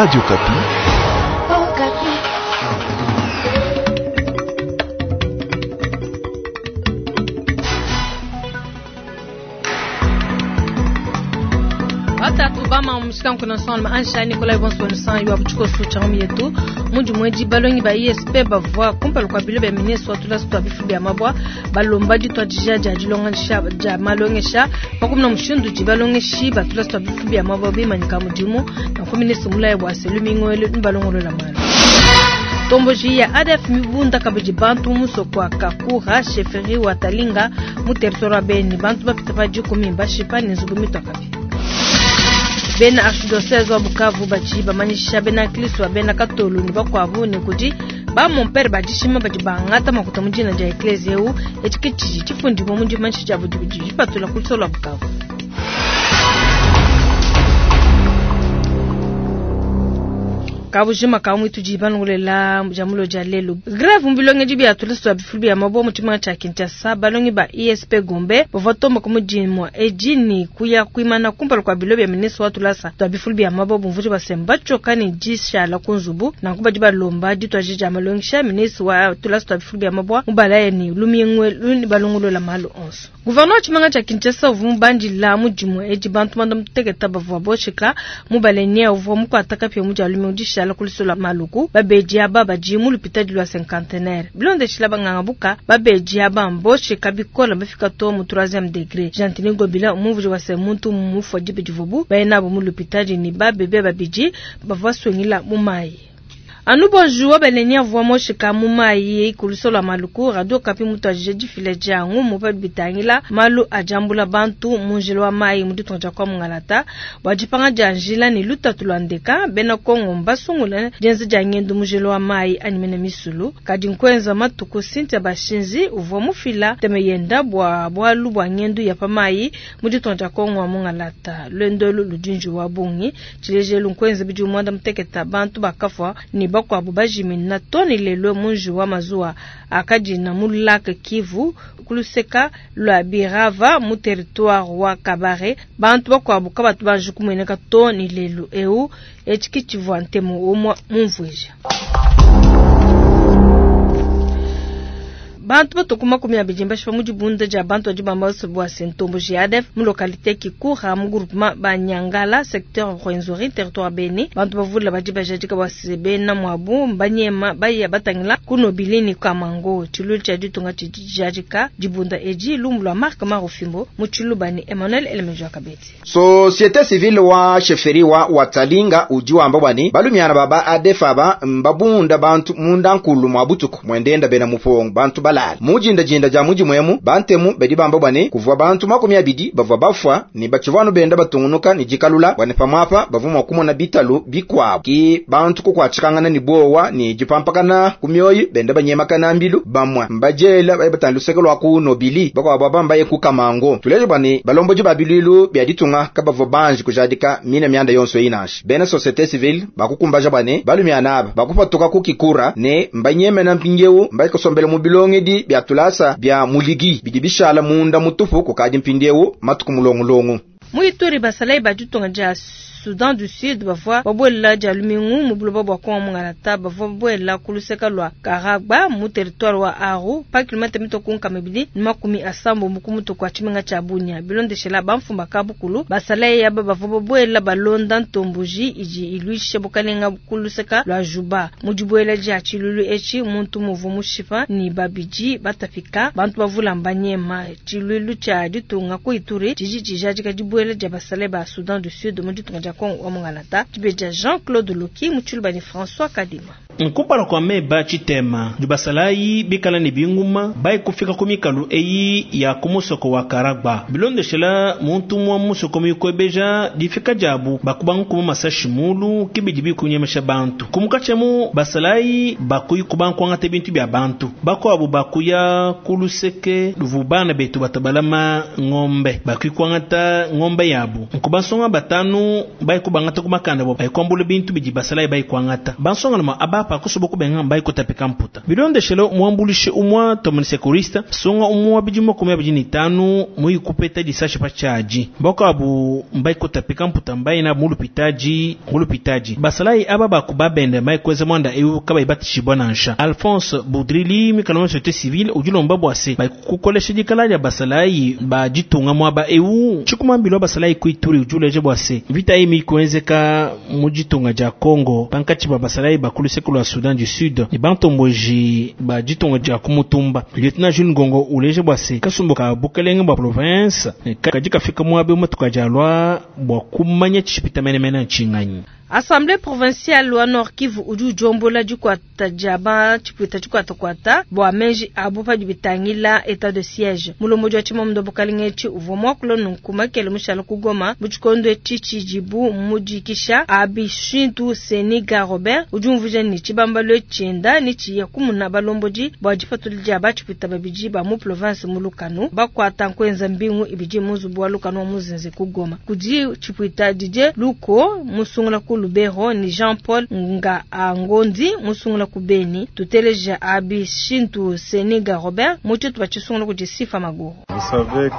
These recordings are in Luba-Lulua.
Radio Okapi. Batatu bama mushika nkuna son ma ansha Nicolas Bonso san yo abuchiko su chamu yetu mundi mweji balongi ba ISP bavwa kumpala kwa bilo bya ministre wa tulasa twa bifu bya mabwa balomba ditwa dija dia dilongesha dia malongesha pakumna mushindu di balongeshi ba tulasa twa bifu bya mabwa bimanyika mudimu na ku ministre mulaye bwa selu mingwele mbalongolola malu tomboji ya ADF mibunda kabidi bantu musoko wa Kakura chefferie wa Talinga mu territoire wa Beni bantu bapita pa dikumi bashipa ne nzubu mitwa kabi bena archidiocèse wa Bukavu badi bamanyisha bena Kristo bena Katolu ne bakuabu ne kudi ba mon père badishima badi bangata makuta mu dina dia eklezia eu etshi ke tshidi tshifundibua mu dimanyisha diabu didi dipatula ku lusolo lua Bukavu. Kabujima ka mwitu di balongolela jamulo dia lelo grève mu bilongedi bia tulasa twa bifulu bia mabwa mu tshimenga tshia Kinshasa balongi ba ISP Gombe bavua tomba ku mudimu edi ni kuya kuimana kumpala kua bilo bia ministre wa tulasa twa bifulu bia mabwa bumvuji basemba batshioka ne dishala ku nzubu nanku badi balomba dituaji dia malongesha ministre wa tulasa twa bifulu bia mabwa mubalaya ni lumingwe luni balongolola malu onso. Gouverneur wa tshimenga tshia Kinshasa uvua mubandila mudimu edi bantu manda muteketa bavua boshika mubalenia uvua mukuata kapia mu dia lumingu dishala kulisola maluku babedi aba badi mu lupitadi lwa cinquantenaire bilondeshila banganga buka babedi aba mboshika bikola bafika to mu 3e degré Gentiny Ngobila umumvuji wa se muntu mufua dibe divubu bayena bo mu lupitadi ni babebe babidi bavua swengila mu mayi. Anu bonjour belenia vwa moshika mu mayi kulisola maluku radio kapi mutu ajije difile dia ngumu pa bitangila malu ajambula bantu mu njila wa mayi mu ditunga kwa mungalata bua dipanga dia njila ni lutatu lwa ndeka bena Kongo mbasungula dienza dia ngendu mu njila wa mayi animene misulu kadi nkwenza matuku Cynthia Bashinzi uvua mufila teme yenda bua bualu bua ngendu ya pa mayi mu ditunga Kongo wa mungalata lwendolu ludinji wa bungi tshilejelu nkwenza bidi mwanda muteketa bantu bakafua ni bakwabu bajimina toni lelo munji wa mazuwa akadina mu lac Kivu kuluseka lwa Birava mu territoire wa Kabare bantu bakwabu kabatu banji kumweneka toni lelo eu etshi tshivua ntemu umwa mumvuija. Bantu batoku 20 bashipa mu dibunda dia bantu badi bamba bua sentombo JADF mu localité Kikura mu groupement Banyangala secteur Rwenzori territoire Beni bantu bavula badi bajadika bua bena mwabu banyema baya batangila kuno bilini kamango tshilulu tshia ditunga tshijadika dibunda edi lumbu lwa Marc Marofimbo mu tshilubani Emmanuel Elemejo Kabeti. Société civile wa chefferie wa Watalinga uji wamba bwani balumiana baba ADF aba mbabunda bantu munda nkulu mwa butuku mwendenda bena mupongo bantu bala mujinda jinda ja muji mwemu bantemu bedi bamba bwane kuvua bantu 20 bavua bafwa ni bachivanu benda batungunuka ni jikalula bwane pamwapa bavuma kumona bitalu bikwabo ki bantu kukwachikangana ni bowa ni jipampakana kumyoyi benda banyemakana mbilu bamwa mbajela baye batandu lwa ku nobili bakwa baba ku kamango tuleje bwane balomboji babilulu bya ditunga kabavua banji kujadika mina myanda yonso inashi bena société civile bakukumbaja bwane balumiana aba bakupatuka kukikura ne mbanyemena mpingeu mbaikosombela mu bilonge di bya tulasa bya muligi bidi bishala munda mutufu kukadi mpindiewu matuku mulongulongu. Muituri basalai baditunga dia Soudan du Sud bavua babuela dia lumingu mu buloba bua Kongo mungalata bavua babuela ku luseka lua Karagba mu territoire wa Aru pa kilomètre mitoku 280 ku mutu kua tshimenga tshia Bunia bilondeshela bamfumba kabukulu basalai aba bavua babuela balonda ntomboji idi iluisha bukalenga ku luseka lua Juba mu dibuela dia tshilulu etshi muntu muvu mushipa ni babidi batapika bantu bavula mbanyema tshilulu tshia ditunga ku Ituri tshidi tshijadika dibuela dia basalai ba Soudan du Sud mu ditunga dia Kongo wa mungalata tibeja Jean-Claude Loki mutshilubani François Kadima. Nkumpala kwa meba tshitema dibasalai bikala ne binguma bai kufika ku mikalu eyi ya kumusoko wa Karagba bilondeshela muntu mwa musoko mikwebeja difika jabu bakubangu kuma masashi mulu kibidi bikunyemesha bantu kumukachemu basalai bakuyi kubankwanga bintu bya bantu bakwabu bakuya kuluseke luvubana betu batabalama ngombe bakuikwangata ngombe yabu nkubasonga batanu bai kubangata kumakanda bo bai kwambula bintu bidi basalai bai kwangata bansonga ma aba pa kusoba kubenga mbayi kutapika mputa. Bilondeshele muambulishi umwa tomoni sekurista songa umwa bidi 25 muyi kupeta disashi pa chaji. Mboko abu mbayi kutapika mputa mbayi na mulupitaji mulupitaji. Basalayi aba bakubabende mbayi kweza mwanda eu kabayi batishibwa nansha. Alphonse Boudrili mikala société civile ujulomba bwase bayi kukolesha dikala dia basalayi ba ditunga mwaba eu chikumambilo basalayi kuituri ujuleje bwase vita imi kuenzeka mu ditunga dia Congo pankatshi ba basalayi bakulu la Soudan du Sud ni bantomboji ba ditunga dia kumutumba. Lieutenant Jules Ngongo uleje bwase kasumbu ka bukelenge bwa province kadi kafika mwabe matuka jalwa bwa kumanya tshipita menemene nchinganyi. Assemblée provinciale wa Nord Kivu udi ujombola dikwata dia tshipwita tshikwatakwata bua menji abu padi bitangila état de siège. Mulombodi wa tshimamunda bukalenga etshi uvua muakula nunku makele mushala ku Goma mu tshikondo etshi tshidibu mudikisha Abishintu Seniga Robert udi umvuija ne tshibambalo tshienda ne tshiya kumuna balombodi bua dipatula dia batshipwita babidi ba mu province mu Lukanu bakwata nkuenza mbingu ibidi mu nzubu wa Lukanu wa muzinze ku Goma. Kudi tshipwita Didier Luko musungula ku Lubero ni Jean-Paul Nga Angondi musungula ku Beni. Tuteleja Abishintu Seniga Robert mutu bachisungula ku Sifa Maguru.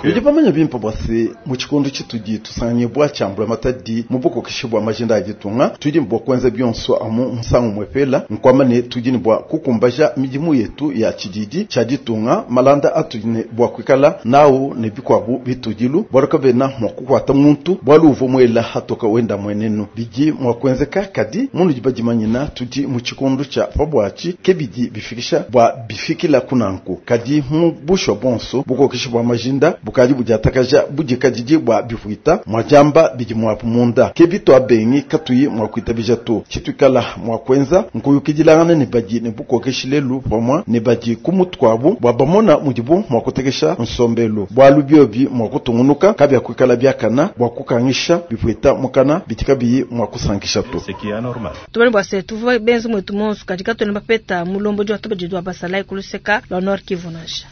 Bidi bamanya bimpe bwase mu tshikondo tshitudi tusanganye bwa tshiambula matadi mu bukokeshi bwa majinda a ditunga tudi bwa kwenza bionso amu nsangu mwepela nkwamane tudi ne bwa kukumbaja midimu yetu ya tshididi tshia ditunga malanda atudi ne bwa kuikala nawu ne bikwabu bitudilu bwaluka bena mwa kukwata muntu bwalu uvo mwela hatoka wenda mwenenu bidi mwa kwenzeka kadi munu dibadimanyina tudi mu tshikondo tshia pabwachi ke bidi bifikisha bwa bifikila kunanku kadi mu bushwa bonso bukokeshi bwa majinda bukadi budiatakaja budikadidi bwa bifuita mwajamba bidi mwapu munda ke bitwa bengi katuyi mwa kuitabija to tshituikala mwa kwenza nkuyukidilangana ne badi ne bukokeshi lelu pamwa ne badi kumutwabu bwa bamona mudibu mwa kutekesha nsombelu bwalu biobi mwa kutungunuka kabya kuikala byakana bwa kukangisha bifuita mukana bitika biyi mwa kusankisha to. Tubani bwa se tuvuwa benzi mwetu monsu katika tunemba peta mulombo jwa tuba jidwa basalai kuluseka lwa Nord Kivu nansha.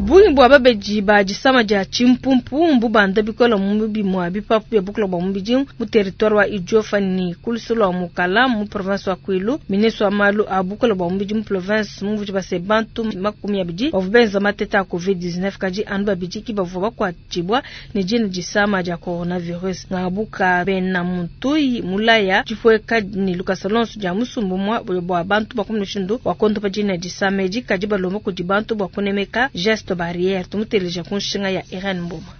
Bungi bwa babeji ba disama dia chimpumpu mbubanda bikola mu bimwa bipapu bya bukula bwa mubidi mu territoire wa Idiofa ni kulusu lwa Mukala mu province wa Kwilu. Ministre wa malu a bukula bwa mubidi mu province mu mvuji base bantu 20 bavubenza mateta a COVID-19 kadi anu babidi ki bavua bakwatibwa ne dina disama dia coronavirus. Ngabuka bena muntui mulaya dipweka ni Lucas Alonso dia musumbu mwa bwa bantu bakumushindu wa kontopa dina disama edi kadi balomba kudi bantu bwa kunemeka geste barrière tumuteleja kunshinga ya Irene Mboma.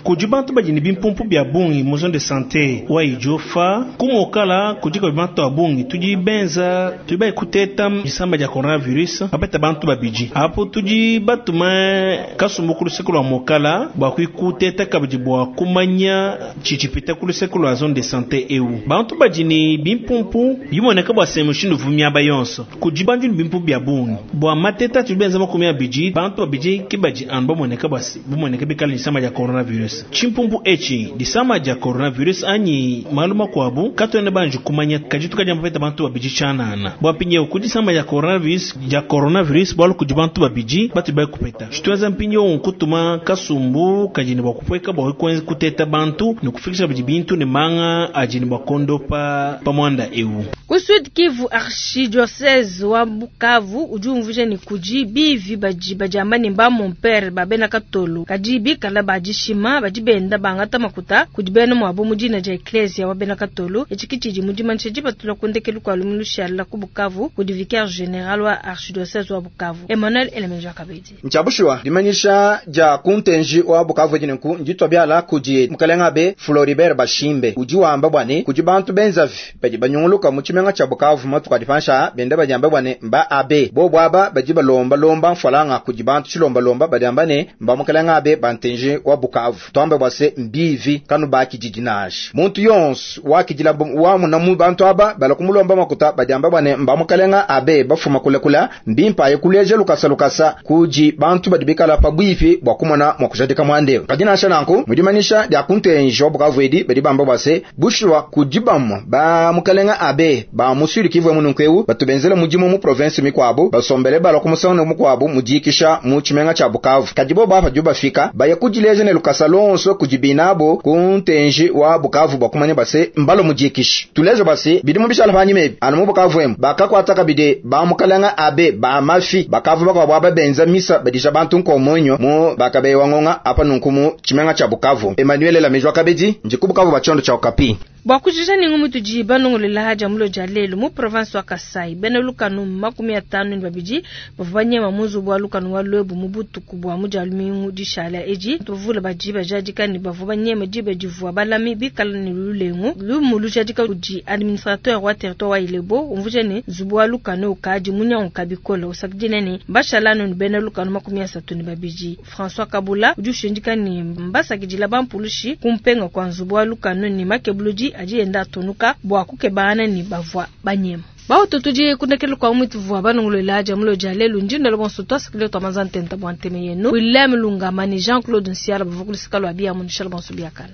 Kudi bantu badi ne bimpumpu bya bungi mu zone de santé wa Idiofa kumokala kudika bantu ba bungi tudi benza tudi bayi kuteta disamba dia coronavirus bapeta bantu babidi apo tudi batuma kasumbu ku luseke lwa mokala bua kuikuteta kabidi bua kumanya tshitshipita ku luseke lwa zone de santé eu bantu badi ne bimpumpu bimoneka bua se mushindu vumiaba yonso kudi bantu ne bimpumpu bya bungi bua mateta tudi benza 20 bantu babidi ke badi anu bamoneka bua bumoneka bikala disamba dia coronavirus. Chimpumpu echi disama dia coronavirus anyi maluma kwabu katwene banji kumanya kajitu kaja mpeta bantu babidi chanana bwa pinye kudisama dia coronavirus bwalu kudi bantu babidi batu bai kupeta chitweza mpinye kutuma kasumbu kajini bwa kupweka bwa kwenza kuteta bantu ni kufikisha bidi bintu ne manga ajini bwa kondopa pamwanda eu. Ku Sud Kivu archidiocèse wa Bukavu udi umvuija ni kudi bivi badi badiamba ne ba mon père babena katolo kadi bikala badishima badi benda bangata makuta kudi bena mwabo mu dina dia ecclesia wa bena katolo etshikitshidi mu dimanisha dipatula kundekelu kua lumu lushala ku Bukavu kudi vicaire général wa archidiocèse wa Bukavu Emmanuel Elemenja Kabedi. Nchabushwa dimanisha dia kuntenji wa Bukavu jinenku nditwa byala kudi mukalenga be Floribert Bashimbe udi wamba bwane kudi bantu benzavi badi banyunguluka mu tshimenga tsha Bukavu matuka dipansha benda badiamba bwane mba abe bo bwaba badi balomba lomba mfalanga kudi bantu tshilomba lomba badiamba ne mba mukalenga abe bantenji wa Bukavu twambe bwase mbivi kanu bakididinashi muntu yonse wakidila wa munamu bantu aba balakumulomba makuta badiamba bwane mba mukalenga abe bafuma kulekula mbimpa yekuleje lukasa lukasa kuji bantu badibikala pabwifi bwa kumona mwakujadika mwande kadinasha nanku mudimanisha dia kuntenji wa Bukavu edi badi bamba bwase bushwa kudibamo ba mukalenga abe ba musuli kivwe mununkweu batubenzele mudimu mu province mikwabo basombele bala kumusana mukwabo mudikisha mu tshimenga tsha Bukavu kadibo bapa juba fika baye kudileje ne lukasa luonso kudi binabo ku ntenji wa Bukavu bua kumanya base mbalo mudikishi. Tuleja base bidi mu bishala panyima ebi anu mu Bukavu emu bakakuata kabidi ba mukalanga abe ba mafi bakavu bakuabu aba benza misa badisha bantu nkomonyo mu bakabewa ngonga apa nunku mu tshimenga tshia Bukavu. Emmanuel Lamejwa kabidi ndi ku Bukavu ba tshiondo tshia Okapi. Bua kujija ne ngumu tudi banongolela haja mulo dia lelu mu province wa Kasai bena lukanu 52 bavua banyema mu nzubu wa lukanu wa Luebu mu butuku bua mu dia lumingu dishala edi. Tuvula badi bajadika ne bavua banyema diba divua balami bikala ne lulengu. Lumu lujadika kudi administrateur wa territoire wa Ilebo umvuja ne nzubu wa lukanu ukadi munyanguka bikole usakidile ne bashalanu ne bena lukanu 32. François Kabula udi ushindika ne mbasakidila bampulushi kumpenga kwa nzubu wa lukanu ne makebuludi adi enda atunuka bua kukebana ne bavua banyema. Baoto tudi kundekelu kwa mwitu vua banongolola dia mulo dia lelu ndinda bonso twasakile twa mazantenta bua nteme yenu. William Lunga mani Jean-Claude Nsiala bavua kulusika lwa bia munishala bonso biakana.